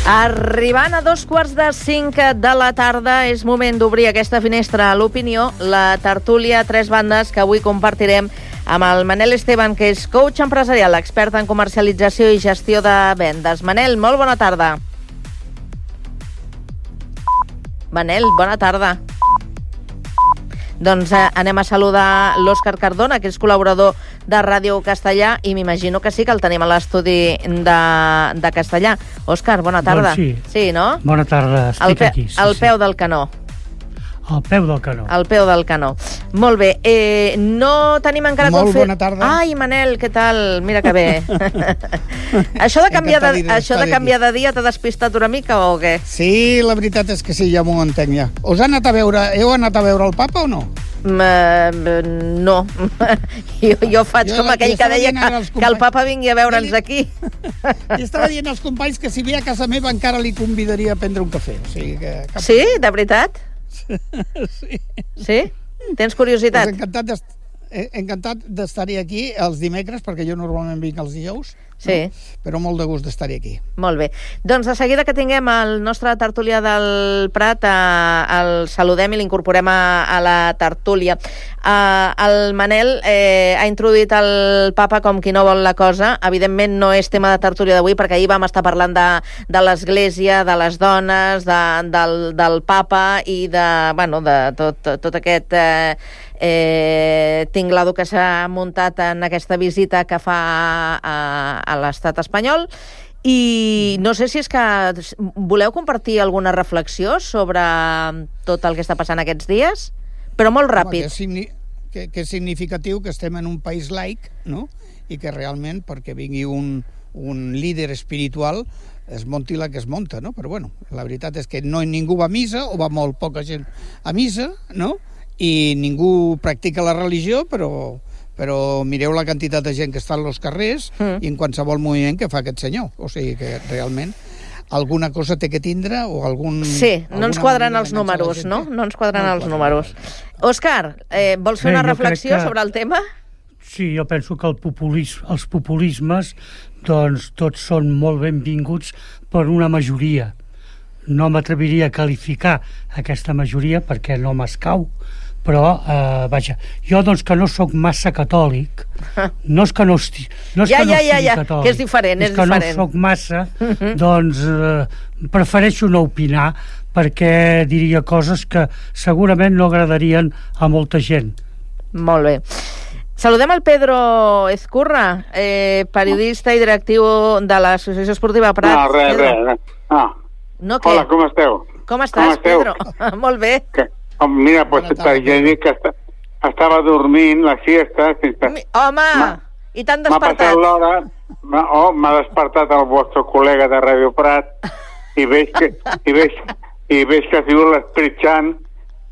Arribant a 4:45 de la tarda, és moment d'obrir aquesta finestra a l'opinió, la tertúlia a tres bandes que avui compartirem amb el Manel Esteban, que és coach empresarial, expert en comercialització i gestió de vendes. Manel, molt bona tarda. Manel, bona tarda. Doncs anem a saludar l'Òscar Cardona, que és col·laborador de Ràdio Castellà, i m'imagino que sí que el tenim a l'estudi de Castellà. Òscar, bona tarda. Doncs sí. Sí, no? Bona tarda, estic aquí. Sí, al peu del canó. Al peu del canó. Al peu del canó. Molt bé. No tenim encara... Molt bona tarda. Ai, Manel, què tal? Mira que bé. Això de canviar de dia t'ha despistat una mica o què? Sí, la veritat és que sí, ja m'ho entenc ja. Heu anat a veure el papa o no? No. Jo faig com aquell que deia que el papa vingui a veure'ns aquí. I estava dient als companys que si ve a casa meva encara li convidaria a prendre un cafè. O sigui que... Sí? De veritat? Sí. Sí? Tens curiositat? Pues encantat d'estar-hi aquí els dimecres, perquè jo normalment vinc els dijous. Sí. No? Però molt de gust d'estar-hi aquí. Molt bé. Doncs de seguida que tinguem el nostre tertulià del Prat, el saludem i l'incorporem a la tertúlia. El Manel ha introduït el papa com qui no vol la cosa. Evidentment no és tema de tertúlia d'avui, perquè ahir vam estar parlant de l'Església, de les dones, del papa i de tot aquest... tinglado que s'ha muntat en aquesta visita que fa a l'estat espanyol, i no sé si és que voleu compartir alguna reflexió sobre tot el que està passant aquests dies, però molt ràpid. Que és significatiu que estem en un país laic, no? I que realment, perquè vingui un líder espiritual, es monti la que es monta, no? Però bueno, la veritat és que ningú va a missa, o va molt poca gent a missa, no? I ningú practica la religió, però mireu la quantitat de gent que està als carrers i en qualsevol moviment que fa aquest senyor. O sigui que realment alguna cosa té que tindre o algun... Sí, no ens quadren els números, no? No ens quadren els números. Òscar, vols fer una reflexió sobre el tema? Sí, jo penso que els populismes doncs tots són molt benvinguts per una majoria. No m'atreviria a qualificar aquesta majoria perquè no m'escau, però, vaja, jo, doncs, que no sóc massa catòlic, no és que no estigui catòlic, que és diferent, és que no sóc massa, doncs prefereixo no opinar perquè diria coses que segurament no agradarien a molta gent. Molt bé. Saludem el Pedro Ezcurra, periodista i directiu de l'Associació Esportiva Prat. No, res. No, què? Hola, com esteu? Com estàs, Pedro? Molt bé. Mira, pues ja dic que estava dormint la siesta. Home, i t'han despertat. M'ha passat l'hora, m'ha despertat el vostre col·lega de Ràdio Prat i veig que ha sigut l'Esperit Sant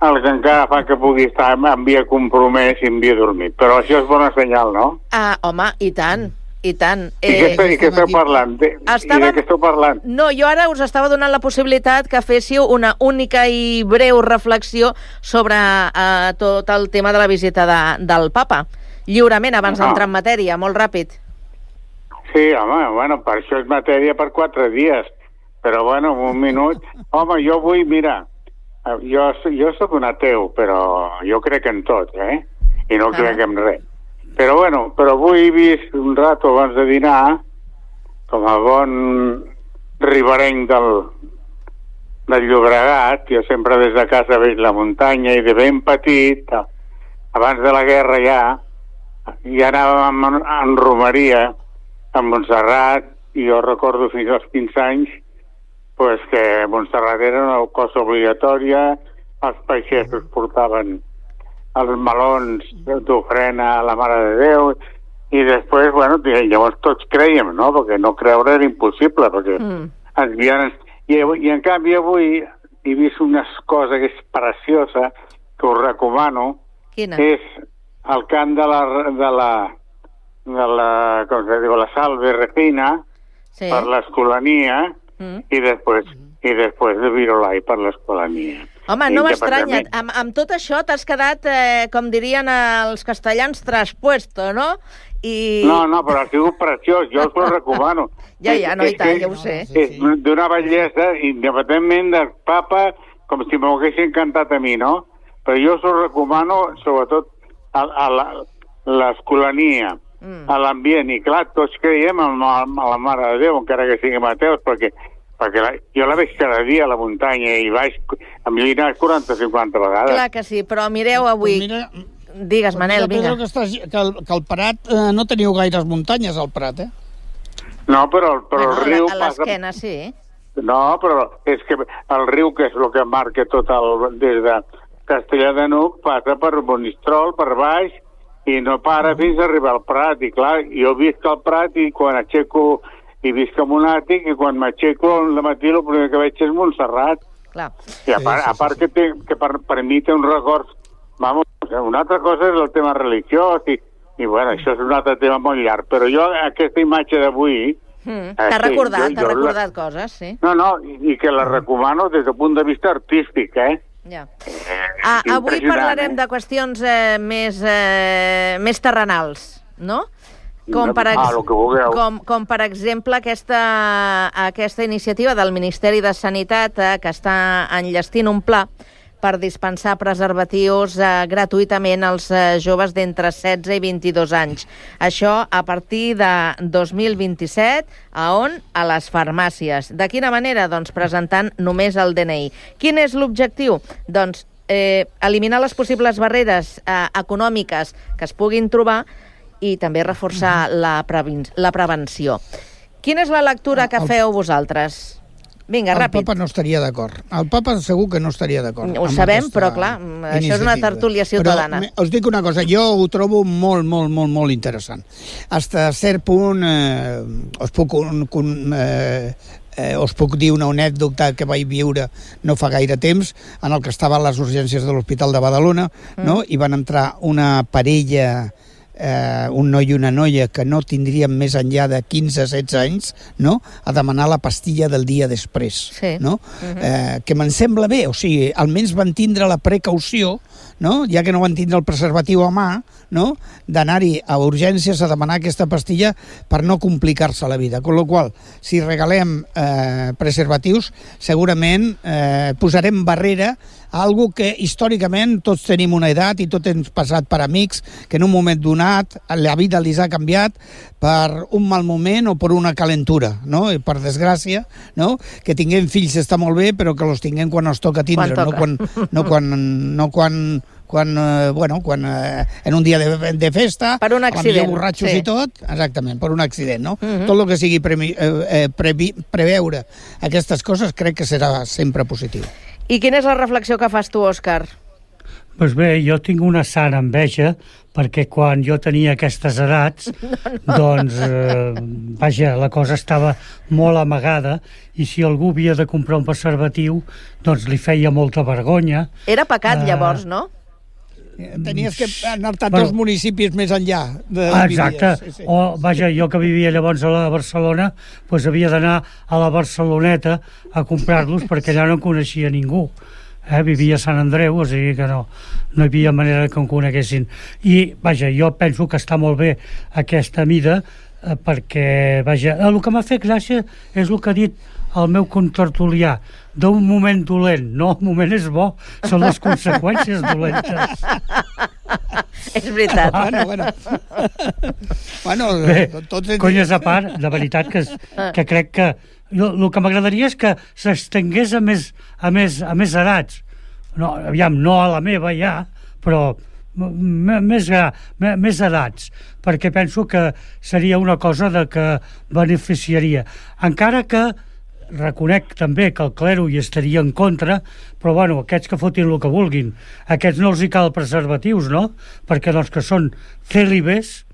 el que encara fa que pugui estar en via compromès i en via dormit. Però això és bona senyal, no? Home, i tant. I tant. I què esteu parlant? I de què esteu parlant? No, jo ara us estava donant la possibilitat que féssiu una única i breu reflexió sobre tot el tema de la visita del papa. Lliurement, abans d'entrar en matèria, molt ràpid. Sí, home, per això és matèria per 4 dies. Però, bueno, un minut. Home, jo vull, mira, jo soc un ateu, però jo crec en tot, I no crec en res. Però avui he vist un rato abans de dinar, com a bon riberenc del Llobregat, jo sempre des de casa veig la muntanya i de ben petit, abans de la guerra ja anàvem en romeria a Montserrat, i jo recordo fins als 15 anys que Montserrat era una cosa obligatòria, els peixers portaven els melons d'ofrena a la Mare de Déu, i després, llavors tots creiem, no? Perquè no creure era impossible, perquè ens havien... I en canvi avui he vist una cosa que és preciosa, que us recomano. Quina? És el cant de la com se diu, la Salve Regina, per l'Escolania, i després de Virolai per l'Escolania. Home, no m'estranya. Amb tot això t'has quedat, com dirien els castellans, traspuesto, no? No, però ha sigut preciós, jo us ho recomano. Ja, no, i tant, ja ho sé. És d'una bellesa, independentment del papa, com si m'ho haguessin cantat a mi, no? Però jo us ho recomano, sobretot, a l'escolania, a l'ambient, i clar, tots creiem en la Mare de Déu, encara que siguem ateus, perquè jo la veig cada dia a la muntanya i baix, a mi he anat 40-50 vegades. Clar que sí, però mireu avui... Digues, Manel, vinga. Que el Prat no teniu gaires muntanyes, al Prat, eh? No, però el riu passa... A l'esquena, sí. No, però és que el riu, que és el que marca tot des de Castellar de n'Hug, passa per Monistrol, per baix, i no para fins a arribar al Prat. I clar, jo visc al Prat i quan aixeco... i visc en un àtic, i quan m'aixeco al matí el primer que veig és Montserrat. Clar. I a part que per mi té un record... Vamos, una altra cosa és el tema religiós, i bueno, això és un altre tema molt llarg, però jo aquesta imatge d'avui... T'ha recordat coses, sí. No, i que la recomano des del punt de vista artístic, Ja. Avui parlarem de qüestions més terrenals, no? Com per exemple aquesta iniciativa del Ministeri de Sanitat que està enllestint un pla per dispensar preservatius gratuïtament als joves d'entre 16 i 22 anys. Això a partir de 2027, a on? A les farmàcies. De quina manera? Doncs presentant només el DNI. Quin és l'objectiu? Doncs eliminar les possibles barreres econòmiques que es puguin trobar i també reforçar la prevenció. Quina és la lectura que feu vosaltres? Vinga, ràpid. El papa no estaria d'acord. El papa segur que no estaria d'acord. Ho sabem, però clar, això és una tertúlia ciutadana. Però us dic una cosa, jo ho trobo molt, molt, molt, molt interessant. Hasta cert punt us puc dir una anècdota que vaig viure no fa gaire temps, en el que estava a les urgències de l'Hospital de Badalona, no? I van entrar una parella, un noi i una noia que no tindrien més enllà de 15-16 anys, no? A demanar la pastilla del dia després, no? Que me'n sembla bé, o sigui, almenys van tindre la precaució, no? Ja que no van tindre el preservatiu a mà, no? D'anar-hi a urgències a demanar aquesta pastilla per no complicar-se la vida. Con lo qual, si regalem preservatius, segurament posarem barrera a algo que històricament tots tenim una edat i tot hem passat per amics que en un moment donat la vida els ha canviat per un mal moment o per una calentura, no? I per desgràcia, no? Que tinguem fills està molt bé, però que els tinguem quan els toca tindre, no quan en un dia de festa, per un accident, borratxos i tot, exactament, per un accident, no? Tot el que sigui preveure aquestes coses crec que serà sempre positiu. I quina és la reflexió que fas tu, Òscar? Doncs bé, jo tinc una sana enveja perquè quan jo tenia aquestes edats, doncs, la cosa estava molt amagada i si algú havia de comprar un preservatiu, doncs li feia molta vergonya. Era pecat, llavors, no? Tenies que anar-te a dos municipis més enllà. Exacte. Sí. O, jo que vivia llavors a la Barcelona, doncs havia d'anar a la Barceloneta a comprar-los perquè allà no en coneixia ningú. Vivia a Sant Andreu, o sigui que no hi havia manera que em coneguessin. I, jo penso que està molt bé aquesta mida perquè, el que m'ha fet gràcia és el que ha dit el meu contertulià, d'un moment dolent. No, el moment és bo, són les conseqüències dolentes. És veritat. Bé, conyes a part, de veritat que crec que el que m'agradaria és que s'estengués a més edats. No, aviam, no a la meva ja, però més edats, perquè penso que seria una cosa que beneficiaria. Encara que reconec també que el clero hi estaria en contra, però aquests que fotin el que vulguin, aquests no els hi cal preservatius, no? Perquè doncs que són cèlibes,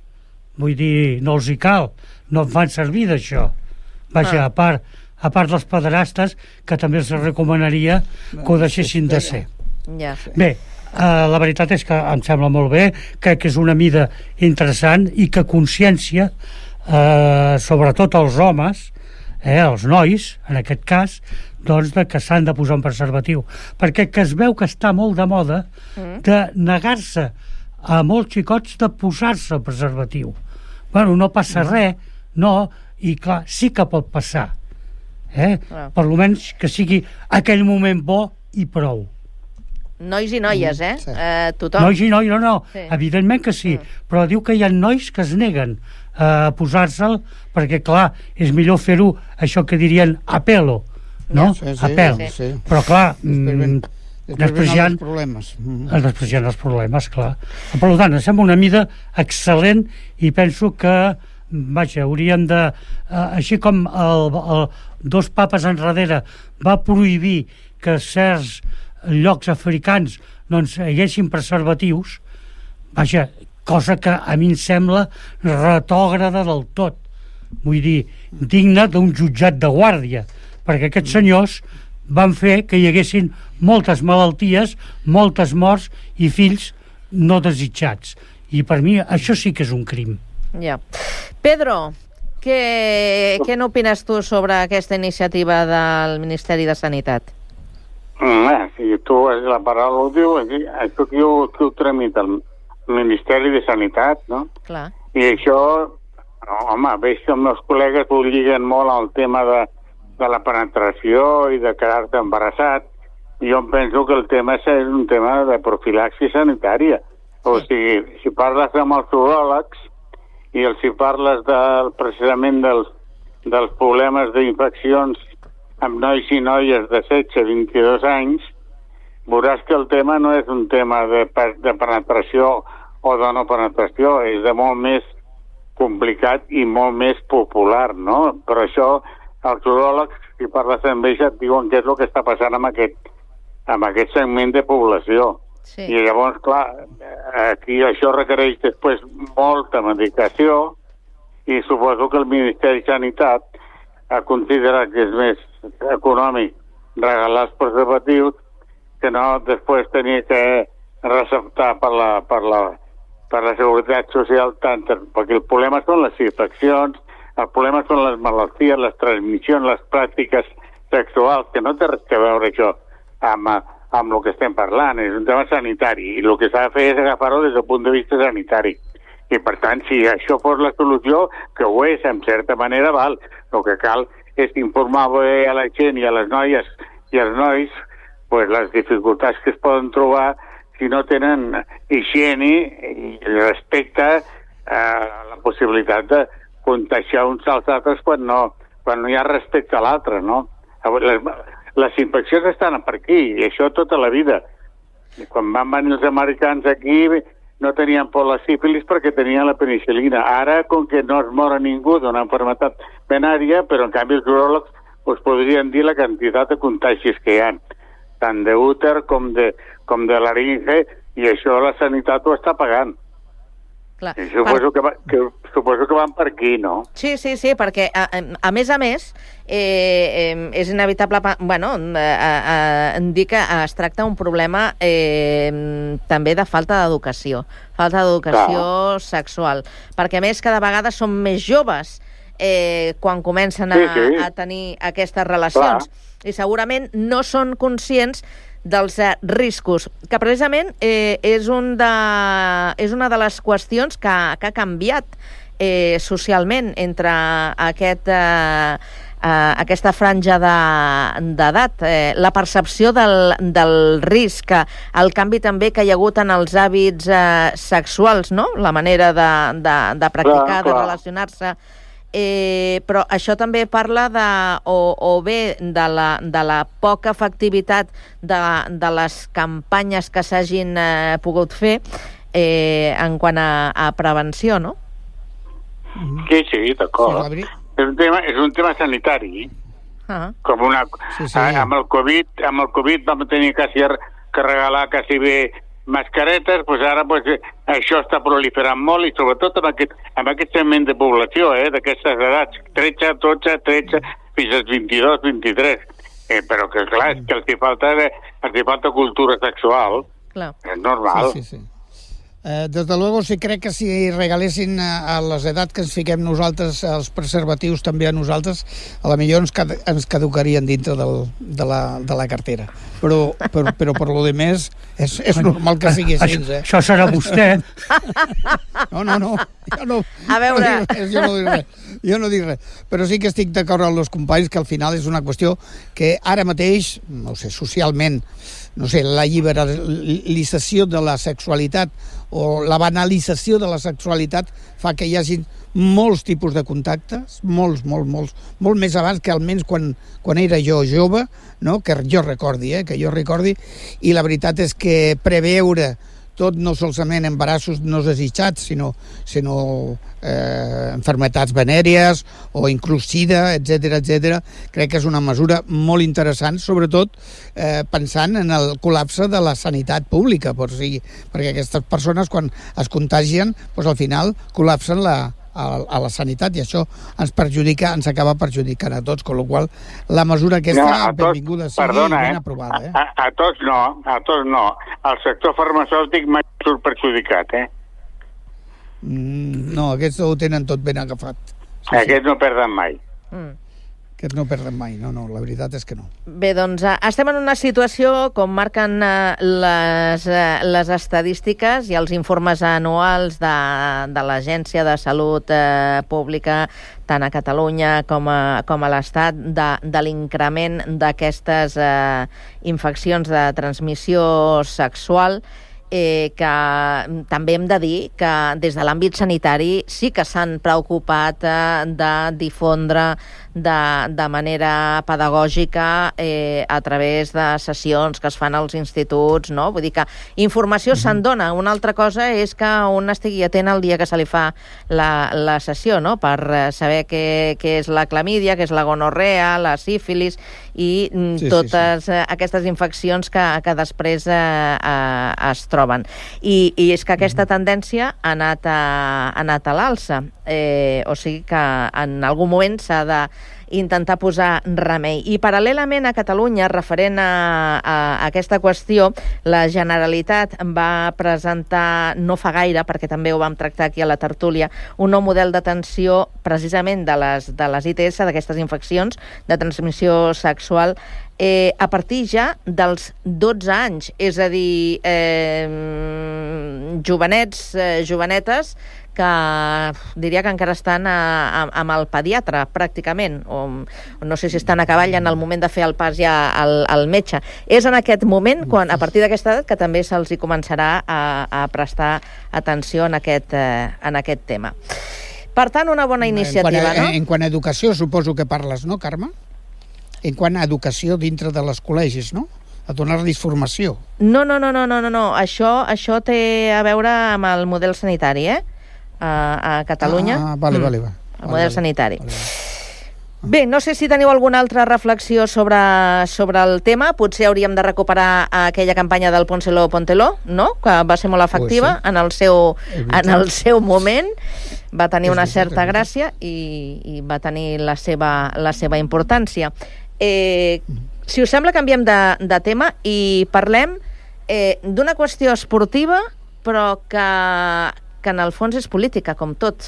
vull dir, no els hi cal, no en fan servir d'això. A part dels pederastes, que també els recomanaria que ho deixessin de ser. Bé, la veritat és que em sembla molt bé, crec que és una mida interessant i que consciència, sobretot els homes, els nois, en aquest cas, doncs que s'han de posar un preservatiu. Perquè que es veu que està molt de moda de negar-se a molts xicots de posar-se el preservatiu. Bueno, no passa res, no, i clar, sí que pot passar. Per almenys que sigui aquell moment bo i prou. Nois i noies, Sí. Tothom. Nois i noies, no, Sí. evidentment que sí, però diu que hi ha nois que es neguen a posar-se'l perquè, clar, és millor fer-ho, això que dirien a pelo, no? Sí, A pèl. sí. Però, clar, Després hi ha els problemes. després hi ha els problemes, clar. Per tant, em sembla una mida excel·lent i penso que, vaja, hauríem de... així com dos papes enrere va prohibir que certs llocs africans doncs hi haguessin preservatius, vaja, cosa que a mi em sembla retògrada del tot. Vull dir, digna d'un jutjat de guàrdia, perquè aquests senyors van fer que hi haguessin moltes malalties, moltes morts i fills no desitjats. I per mi això sí que és un crim. Ja. Pedro, què n'opines tu sobre aquesta iniciativa del Ministeri de Sanitat? Si tu és la paraula ho diu, això que ho tramita el Ministeri de Sanitat, no? Clar. I això, home, veig que els meus col·legues ho lliguen molt al tema de la penetració i de quedar-te embarassat. Jo em penso que el tema és un tema de profilaxi sanitària. O sigui, si parles amb els uròlegs i si parles precisament dels problemes d'infeccions amb nois i noies de 16-22 anys, veuràs que el tema no és un tema de penetració o de no penetració, és de molt més complicat i molt més popular, no? Per això els uròlegs, si parles amb ells, et diuen què és el que està passant amb aquest segment de població. Sí. I llavors, clar, aquí això requereix després molta medicació i suposo que el Ministeri de Sanitat ha considerat que és més econòmic regalar els preservatius que no després tenir que receptar per la Seguretat Social tant, perquè el problema són les infeccions, el problema són les malalties, les transmissions, les pràctiques sexuals, que no té res a veure això amb el que estem parlant, és un tema sanitari, i el que s'ha de fer és agafar-ho des del punt de vista sanitari. I, per tant, si això fos la solució, que ho és, en certa manera, val. El que cal és informar bé a la gent i a les noies i als nois pues, les dificultats que es poden trobar si no tenen higiene i respecte a la possibilitat de contagiar uns als altres quan no hi ha respecte a l'altre, no? Les infeccions estan per aquí, i això tota la vida. Quan van venir els americans aquí no tenien por la sífilis perquè tenien la penicil·lina. Ara, com que no es mor ningú d'una malaltia venària, però en canvi els uròlegs us podrien dir la quantitat de contagis que hi ha, tant d'úter com de laringe, i això la sanitat ho està pagant. Clar. Suposo que van per aquí, no? Sí, perquè a més, és inevitable dir que es tracta un problema també de falta d'educació sexual, perquè a més cada vegada són més joves quan comencen a tenir aquestes relacions. Clar. I segurament no són conscients dels riscos, que precisament és una de les qüestions que ha canviat socialment entre aquesta franja d'edat, la percepció del risc, el canvi també que hi ha hagut en els hàbits sexuals, no? La manera de practicar, de relacionar-se. Però això també parla de la poca efectivitat de les campanyes que s'hagin pogut fer en quant a prevenció, no? Sí, d'acord. És un tema sanitari. Com amb el Covid vam tenir que regalar quasi bé mascaretes, doncs ara això està proliferant molt, i sobretot amb aquest segment de població, d'aquestes edats, 13, 12, 13, fins als 22, 23. Però que clar, és que els hi falta cultura sexual. Clar. És normal. Sí. Desde luego, sí crec que si regalessin a les edats que ens fiquem nosaltres els preservatius també a nosaltres, a la millor ens caducarien dintre de la cartera. Però per lo de més és normal que sigui així, Això serà vostè. No. A veure... Jo no dic res. Però sí que estic d'acord amb els companys que al final és una qüestió que ara mateix, no sé, socialment, no sé, la liberalització de la sexualitat o la banalització de la sexualitat fa que hi hagi molts tipus de contactes, molts més abans que almenys quan era jo jove, no? Que jo recordi, i la veritat és que preveure tot no solament embarassos no desitjats, sinó enfermetats venèries o inclús sida, etc. Crec que és una mesura molt interessant, sobretot pensant en el col·lapse de la sanitat pública, perquè aquestes persones quan es contagien, doncs al final col·lapsen a la sanitat i això ens acaba perjudicant a tots, amb la qual la mesura aquesta benvinguda sigui ben aprovada. A tots no. El sector farmacèutic mai surt perjudicat, No, aquests ho tenen tot ben agafat. Aquests no perden mai. Aquests no perden mai, no, la veritat és que no. Bé, doncs estem en una situació, com marquen les estadístiques i els informes anuals de l'Agència de Salut Pública, tant a Catalunya com a l'Estat, de l'increment d'aquestes infeccions de transmissió sexual, que també hem de dir que des de l'àmbit sanitari sí que s'han preocupat de difondre de manera pedagògica a través de sessions que es fan als instituts, no? Vull dir que informació se'n dona. Una altra cosa és que un estigui atent el dia que se li fa la sessió, no? Per saber què és la clamídia, què és la gonorrea, la sífilis i totes aquestes infeccions que després es troben. I és que aquesta tendència ha anat a l'alça. O sigui que en algun moment s'ha d'intentar posar remei. I paral·lelament a Catalunya, referent a aquesta qüestió, la Generalitat va presentar, no fa gaire, perquè també ho vam tractar aquí a la tertúlia, un nou model d'atenció precisament de les ITS, d'aquestes infeccions de transmissió sexual, a partir ja dels 12 anys, és a dir, jovenetes que diria que encara estan amb el pediatre, pràcticament, o no sé si estan a cavall en el moment de fer el pas ja al metge. És en aquest moment, quan, a partir d'aquesta edat, que també se'ls hi començarà a prestar atenció en aquest tema. Per tant, una bona iniciativa, no? En quant a educació, suposo que parles, no, Carme? En quant a educació dintre de les col·legis, no? A donar-los formació. No. Això té a veure amb el model sanitari, a Catalunya. Vale. El model sanitari. Bé, no sé si teniu alguna altra reflexió sobre el tema. Potser hauríem de recuperar aquella campanya del Pónselo, no? Que va ser molt efectiva en el seu moment. Va tenir una certa gràcia i va tenir la seva importància. Si us sembla, canviem de tema i parlem d'una qüestió esportiva, però que en el fons és política, com tot,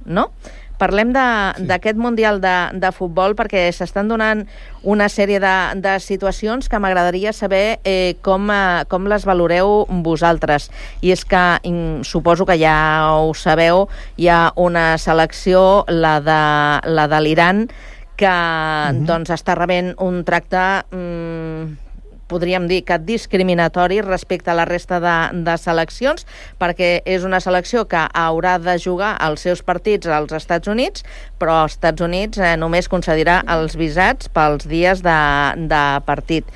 no? Parlem d'aquest Mundial de futbol perquè s'estan donant una sèrie de situacions que m'agradaria saber com les valoreu vosaltres. I és que, suposo que ja ho sabeu, hi ha una selecció, la de l'Iran, que doncs està rebent un tracte podríem dir que discriminatori respecte a la resta de seleccions, perquè és una selecció que haurà de jugar els seus partits als Estats Units, però als Estats Units només concedirà els visats pels dies de partit.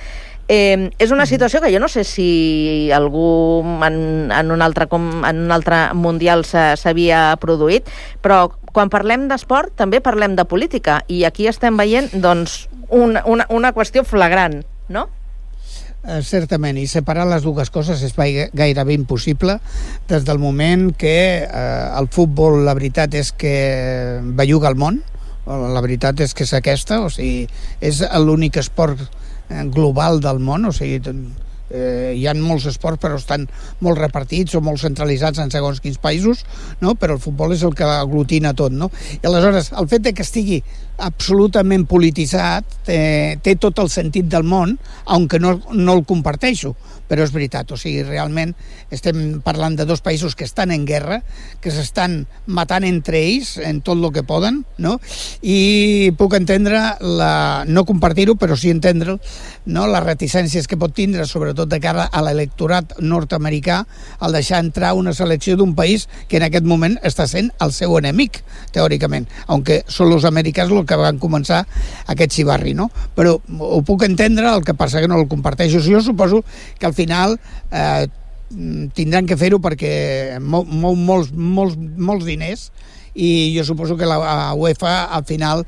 És una situació que jo no sé si algú en un altre mundial s'havia produït, però quan parlem d'esport també parlem de política, i aquí estem veient doncs una qüestió flagrant, no? Certament, i separar les dues coses és gairebé impossible des del moment que el futbol, la veritat és que belluga el món, la veritat és que és aquesta, o sigui, és l'únic esport global del món, o sigui, Hi ha molts esports, però estan molt repartits o molt centralitzats en segons quins països, no? Però el futbol és el que aglutina tot, no? I aleshores, el fet de que estigui absolutament polititzat té tot el sentit del món, aunque no el comparteixo, però és veritat, o sigui, realment estem parlant de dos països que estan en guerra, que s'estan matant entre ells en tot el que poden, no? I puc entendre, no compartir-ho, però sí entendre'l, no? Les reticències que pot tindre, sobretot de cara a l'electorat nord-americà, al deixar entrar una selecció d'un país que en aquest moment està sent el seu enemic, teòricament, aunque són els americans els que van començar aquest xivarri, no? Però ho puc entendre, el que passa que no el comparteixo. Jo suposo que al final tindran que fer-ho perquè molts diners, i jo suposo que la UEFA al final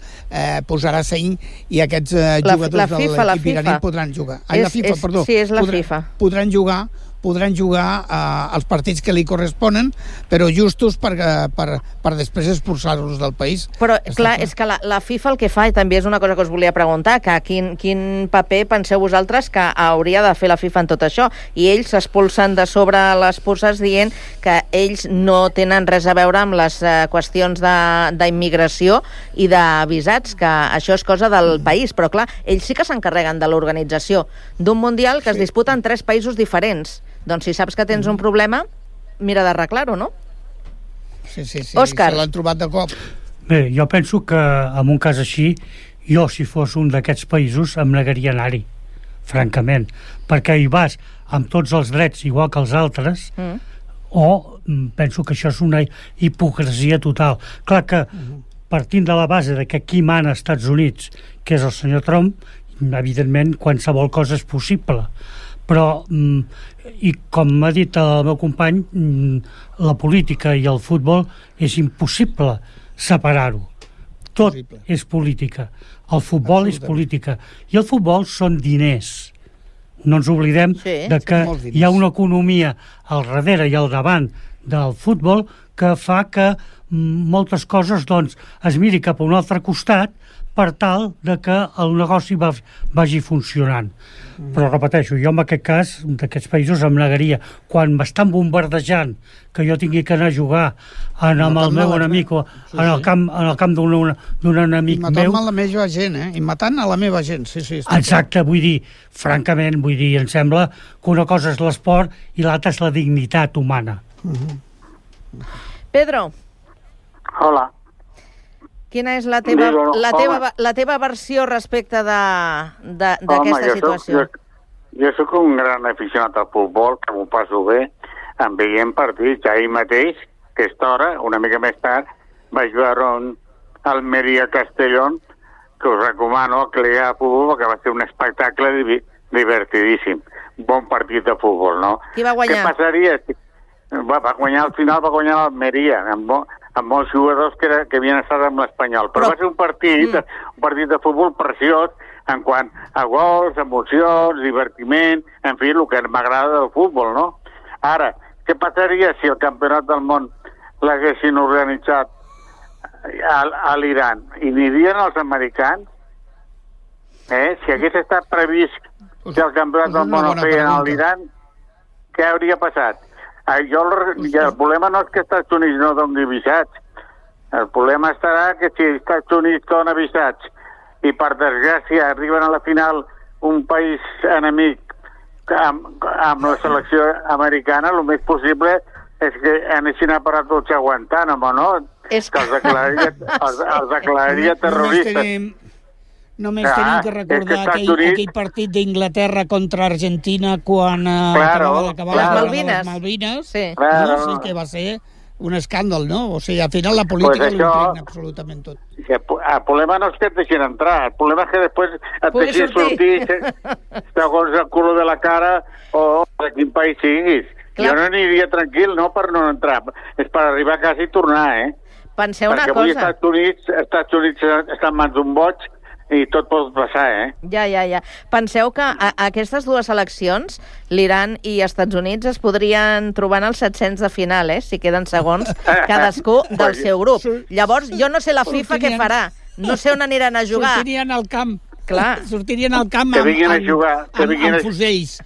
posarà seny i aquests jugadors de l'equip iraní podran jugar. La FIFA, perdó. Sí, és la FIFA. Podran jugar els partits que li corresponen, però justos per després expulsar-los del país. Però, clar, és que la FIFA el que fa, i també és una cosa que us volia preguntar, que quin paper penseu vosaltres que hauria de fer la FIFA en tot això? I ells s'expulsen de sobre les puces dient que ells no tenen res a veure amb les qüestions d'immigració i de visats, que això és cosa del país. Però, clar, ells sí que s'encarreguen de l'organització d'un Mundial que es disputa en 3 països diferents. Doncs si saps que tens un problema, mira d'arreglar-ho, no? Sí, Òscar. Se l'han trobat de cop. Bé, jo penso que en un cas així, jo si fos un d'aquests països em negaria anar-hi, francament, perquè hi vas amb tots els drets igual que els altres, o penso que això és una hipocresia total. Clar que partint de la base de que qui mana als Estats Units, que és el senyor Trump, evidentment qualsevol cosa és possible, però i com m'ha dit el meu company, la política i el futbol és impossible separar-ho. Tot és política. El futbol és política. I el futbol són diners. No ens oblidem de que hi ha una economia al darrere i al davant del futbol que fa que moltes coses es miri cap a un altre costat per tal de que el negoci vagi funcionant. Però repeteixo, jo en aquest cas, d'aquests països em negaria. Quan m'estan bombardejant que jo tingui que anar a jugar amb el meu enemic o en el camp d'un enemic meu... I matant la meva gent, I matant a la meva gent, sí. Exacte, vull dir, francament, em sembla que una cosa és l'esport i l'altra és la dignitat humana. Pedro. Hola. Quina és la teva versió respecte d'aquesta situació? Jo soc un gran aficionat al futbol, que m'ho passo bé, em veient partits. Ahir mateix, aquesta hora, una mica més tard, vaig veure un Almeria-Castellón, que us recomano que li ha futbol, perquè va ser un espectacle divertidíssim. Bon partit de futbol, no? Qui va guanyar? Què passaria? Va guanyar, al final va guanyar l'Almeria, amb molts jugadors que havien estat amb l'Espanyol. Però va ser un partit de futbol preciós en quant a gols, emocions, divertiment, en fi, el que m'agrada del futbol, no? Ara, què passaria si el Campionat del Món l'haguessin organitzat a l'Iran? I anirien els americans? Si hagués estat previst que el Campionat del Món el feien a l'Iran, què hauria passat? El problema no és que els Estats Units no doni visats. El problema estarà que si els Estats Units dona visats i per desgràcia arriben a la final un país enemic amb la selecció americana, el més possible és que anessin a parar tots a Guantánamo, no? Que els declararia terroristes. Només tenim que recordar aquell partit d'Inglaterra contra Argentina quan acabaven les Malvines. Sí, que va ser un escàndol, no? O sigui, al final la política ho impregna absolutament tot. El problema no és que et deixin entrar, el problema és que després et deixin sortir segons el color de la cara o de quin país siguis. Jo no aniria tranquil, no per no entrar, és per arribar a casa i tornar, Penseu una cosa. Perquè avui Estats Units està en mans d'un boig i tot pot passar, Ja. Penseu que aquestes dues eleccions, l'Iran i Estats Units, es podrien trobar en els 700 de final, si queden segons cadascú del seu grup. Llavors, jo no sé la FIFA què farà. No sé on aniran a jugar. Sortirien al camp. Clar. Sortirien al camp Que vinguin a jugar, amb fusells.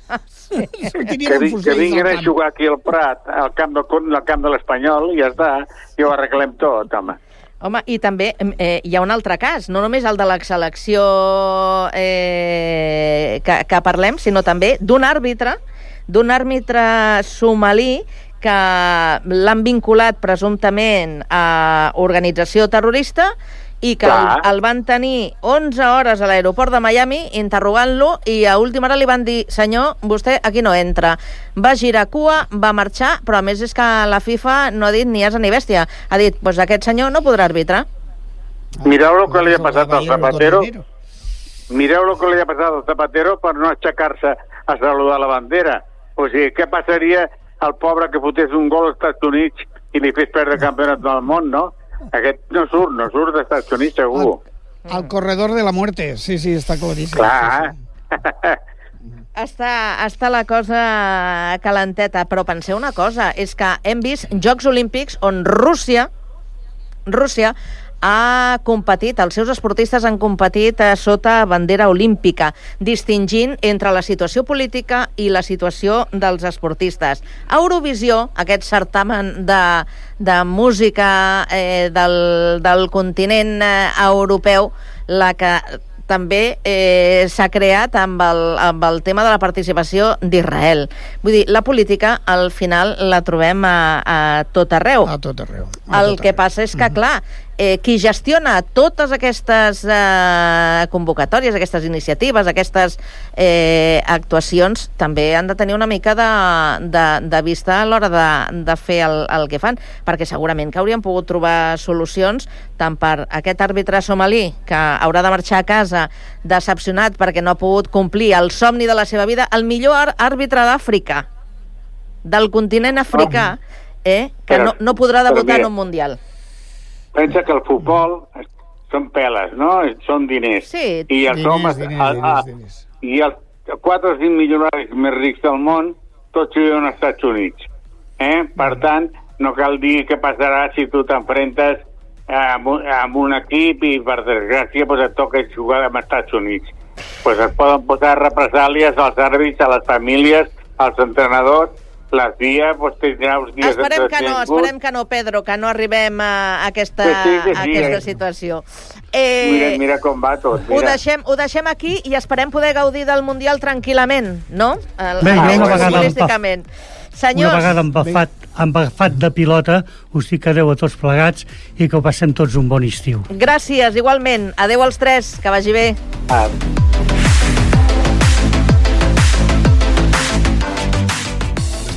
Sortirien amb que fusells vinguin al a camp. jugar aquí al Prat, al camp de l'Espanyol, i ja està, i ho arreglem tot, home. Home, i també hi ha un altre cas, no només el de la selecció que parlem, sinó també d'un àrbitre somalí que l'han vinculat presumptament a organització terrorista i que el van tenir 11 hores a l'aeroport de Miami interrogant-lo i a última hora li van dir senyor, vostè aquí no entra. Va girar cua, va marxar, però a més és que la FIFA no ha dit ni asa ni bèstia. Ha dit, doncs aquest senyor no podrà arbitrar. Mireu el que li ha passat al Zapatero. Mireu el que li ha passat al Zapatero per no aixecar-se a saludar la bandera. O sigui, què passaria al pobre que fotés un gol als Estats Units i li fes perdre el campionat del món, no? Aquest no surt dels Estats Units, segur. Al corredor de la muerte, sí, està claríssim. Clar. Sí. Està la cosa calenteta, però penseu una cosa, és que hem vist Jocs Olímpics on Rússia ha competit, els seus esportistes han competit sota bandera olímpica, distingint entre la situació política i la situació dels esportistes. A Eurovisió, aquest certamen de música del continent europeu, la que també s'ha creat amb el tema de la participació d'Israel. Vull dir, la política al final la trobem a tot arreu. A tot arreu. El que passa és que, clar, qui gestiona totes aquestes convocatòries, aquestes iniciatives, aquestes actuacions, també han de tenir una mica de vista a l'hora de fer el que fan, perquè segurament que haurien pogut trobar solucions tant per aquest àrbitre somalí que haurà de marxar a casa decepcionat perquè no ha pogut complir el somni de la seva vida, el millor àrbitre d'Àfrica, del continent africà, que no podrà debutar en un mundial. Pensa que el futbol són peles, no? Són diners. Sí. I els homes... I els 4 o 5 milionaris més rics del món tots viuen als Estats Units. Per tant, no cal dir què passarà si tu t'enfrentes amb un equip i, per desgràcia, et toca jugar amb els Estats Units. Es poden posar represàlies als àrbits, a les famílies, als entrenadors. Les dies, tindrà uns dies entretinguts. Esperem que no, Pedro, que no arribem a aquesta situació. Mira com va tot. Ho deixem aquí i esperem poder gaudir del Mundial tranquil·lament, no? Una vegada embafat de pilota, us dic adeu a tots plegats i que ho passem tots un bon estiu. Gràcies, igualment. Adeu als tres, que vagi bé.